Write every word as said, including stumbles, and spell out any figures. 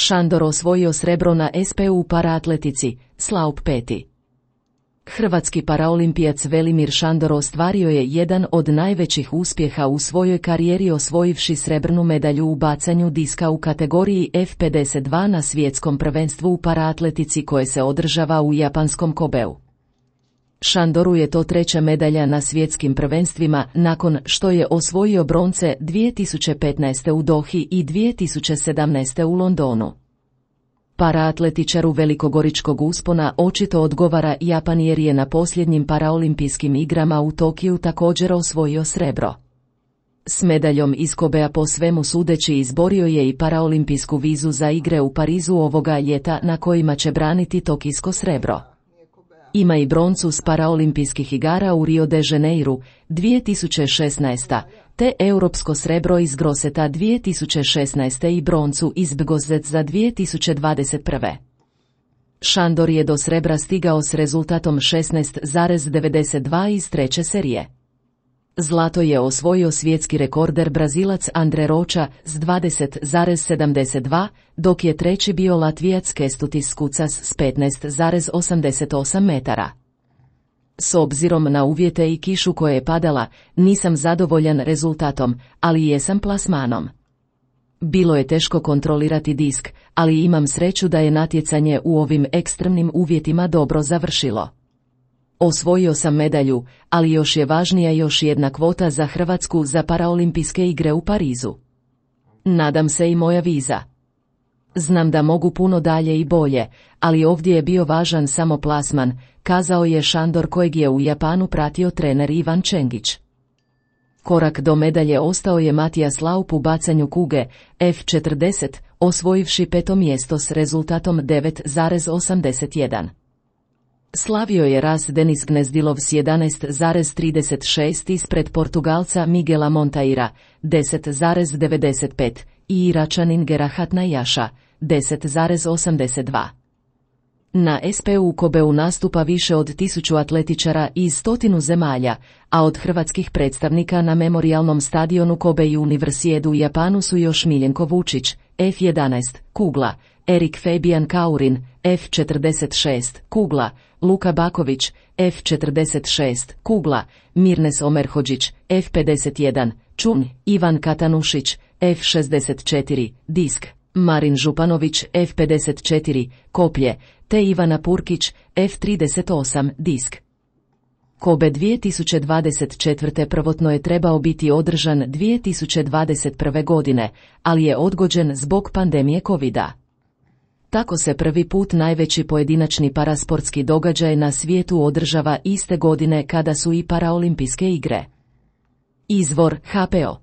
Šandor osvojio srebro na es pe u paraatletici, slaup peti. Hrvatski paraolimpijac Velimir Šandor ostvario je jedan od najvećih uspjeha u svojoj karijeri osvojivši srebrnu medalju u bacanju diska u kategoriji ef pedeset dva na svjetskom prvenstvu u paraatletici koje se održava u japanskom Kobeu. Šandoru je to treća medalja na svjetskim prvenstvima nakon što je osvojio bronce dvije tisuće petnaeste u Dohi i dvije tisuće sedamnaeste u Londonu. Paraatletičaru velikogoričkog uspona očito odgovara Japan jer je na posljednjim paraolimpijskim igrama u Tokiju također osvojio srebro. S medaljom iz Kobea po svemu sudeći izborio je i paraolimpijsku vizu za igre u Parizu ovoga ljeta na kojima će braniti tokijsko srebro. Ima i broncu s paraolimpijskih igara u Rio de Janeiru dvije tisuće šesnaeste. te europsko srebro iz Groseta dvije tisuće šesnaeste i broncu iz Bgozec za dvije tisuće dvadeset prve. Šandor je do srebra stigao s rezultatom šesnaest zarez devedeset dva iz treće serije. Zlato je osvojio svjetski rekorder Brazilac Andre Rocha s dvadeset zarez sedamdeset dva, dok je treći bio Latvijac Kestutis Skucas s petnaest zarez osamdeset osam metara. S obzirom na uvjete i kišu koje je padala, nisam zadovoljan rezultatom, ali jesam plasmanom. Bilo je teško kontrolirati disk, ali imam sreću da je natjecanje u ovim ekstremnim uvjetima dobro završilo. Osvojio sam medalju, ali još je važnija još jedna kvota za Hrvatsku za paraolimpijske igre u Parizu. Nadam se i moja viza. Znam da mogu puno dalje i bolje, ali ovdje je bio važan samo plasman, kazao je Šandor kojeg je u Japanu pratio trener Ivan Čengić. Korak do medalje ostao je Matijas Laup u bacanju kuge, ef četrdeset, osvojivši peto mjesto s rezultatom devet zarez osamdeset jedan. Slavio je raz Denis Gnezdilov s jedanaest zarez trideset šest ispred Portugalca Miguela Montaira, deset zarez devedeset pet, i Iračanin Gerahat Najaša, deset zarez osamdeset dva. Na es pe u Kobeu nastupa više od tisuću atletičara iz stotinu zemalja, a od hrvatskih predstavnika na memorijalnom stadionu Kobe Universiade u Japanu su još Miljenko Vučić, ef jedanaest, kugla, Erik Fabian Kaurin, ef četrdeset šest, kugla, Luka Baković, ef četrdeset šest, kugla, Mirnes Omerhodžić, ef pedeset jedan, čun, Ivan Katanušić, ef šezdeset četiri, disk, Marin Županović, ef pedeset četiri, koplje, te Ivana Purkić, ef trideset osam, disk. Kobe dvije tisuće dvadeset četvrte prvotno je trebao biti održan dvije tisuće dvadeset prve. godine, ali je odgođen zbog pandemije kovida. Tako se prvi put najveći pojedinačni parasportski događaj na svijetu održava iste godine kada su i paraolimpijske igre. Izvor ha pe o